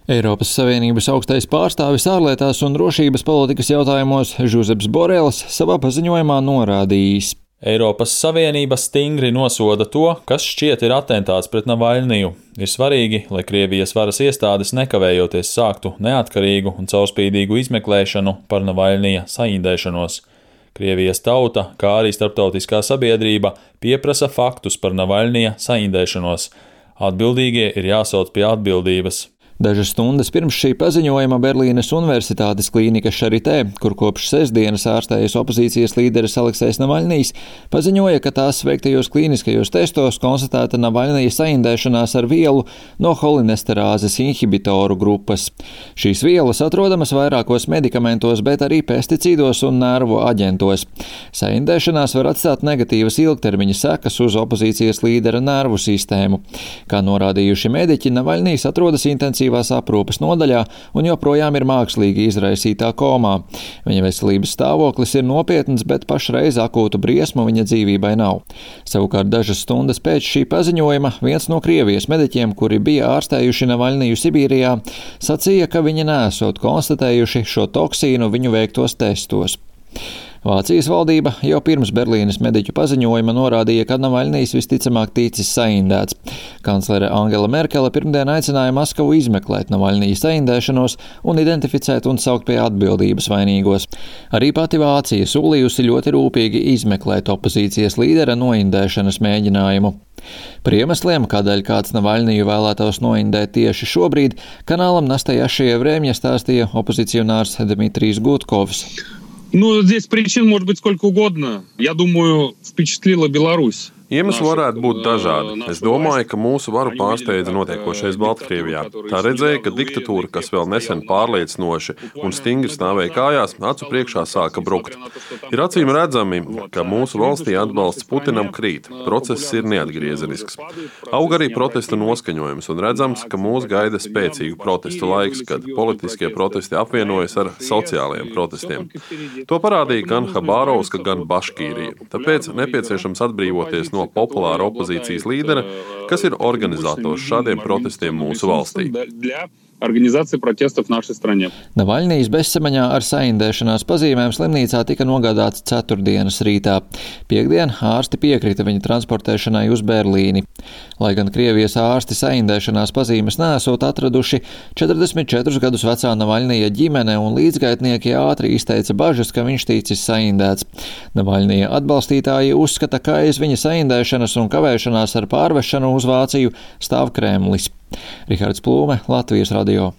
Eiropas Savienības augstais pārstāvis ārlietās un drošības politikas jautājumos Žuzeps Borels savā paziņojumā norādījis: Eiropas Savienība stingri nosoda to, kas šķiet ir atentāts pret Navaļniju. Ir svarīgi, lai Krievijas varas iestādes nekavējoties sāktu neatkarīgu un caurspīdīgu izmeklēšanu par Navaļnija saindēšanos. Krievijas tauta, kā arī starptautiskā sabiedrība, pieprasa faktus par Navaļnija saindēšanos. Atbildīgie ir jāsauc pie atbildības. Dažas stundas pirms šī paziņojuma Berlīnes Universitātes klīnika Šaritē, kur kopš sestdienas ārstējas opozīcijas līderis Aleksejs Navaļnijs, paziņoja, ka tās veiktajos klīniskajos testos konstatēta Navaļnija saindēšanās ar vielu no holinesterāzes inhibitoru grupas. Šīs vielas atrodamas vairākos medikamentos, bet arī pesticīdos un nervu aģentos. Saindēšanās var atstāt negatīvas ilgtermiņa sekas uz opozīcijas līdera nervu sistēmu. Kā norādījuši mediķi, Navaļnijs atrodas intensīvās aprūpes nodaļā un joprojām ir mākslīgi izraisītā komā. Viņa veselības stāvoklis ir nopietns, bet pašreiz akūtu briesmu viņa dzīvībai nav. Savukārt dažas stundas pēc šī paziņojuma viens no Krievijas mediķiem, kuri bija ārstējuši Navaļniju Sibīrijā, sacīja, ka viņi neesot konstatējuši šo toksīnu viņu veiktos testos. Vācijas valdība jau pirms Berlīnes mediķu paziņojuma norādīja, ka Navaļnijs visticamāk ticis saindēts. Kanclere Angela Merkele pirmdien aicināja Maskavu izmeklēt Navaļnija saindēšanos un identificēt un saukt pie atbildības vainīgos. Arī pati Vācija solījusi ļoti rūpīgi izmeklēt opozīcijas līdera noindēšanas mēģinājumu. Par iemesliem, kādēļ kāds Navaļniju vēlētos noindēt tieši šobrīd, kanālam Nastajašie Vremja stāstīja opozicionārs Dmitrijs Gutkovs. Здесь причин может быть сколько угодно. Я думаю, впечатлила Беларусь. Iemesli varētu būt dažādi. Es domāju, ka mūsu varu pārsteidza notiekošais Baltkrievijā. Tā redzēja, ka diktatūra, kas vēl nesen pārliecinoši un stingri stāvēja kājās, acu priekšā sāka brukt. Ir acīm redzami, ka mūsu valstī atbalsts Putinam krīt. Process ir neatgriezenisks. Aug arī protesta noskaņojums un redzams, ka mūs gaida spēcīgu protestu laiks, kad politiskie protesti apvienojas ar sociālajiem protestiem. To parādīja gan Habārovska, gan Baškīrija. Tāpēc nepieciešams atbrīvoties no populāra opozīcijas līdera, kas ir organizators šādiem protestiem mūsu valstī. Navaļnijs bezsamaņā ar saindēšanās pazīmēm slimnīcā tika nogādāts ceturtdienas rītā. Piektdien ārsti piekrita viņa transportēšanai uz Berlīni. Lai gan Krievijas ārsti saindēšanās pazīmes neesot atraduši, 44 gadus vecā Navaļnija ģimene un līdzgaitnieki ātri izteica bažas, ka viņš ticis saindēts. Navaļnija atbalstītāji uzskata, ka aiz viņa saindēšanas un kavēšanās ar pārvešanu uz Vāciju stāv Kremlis. Rihards Plūme, Latvijas radio.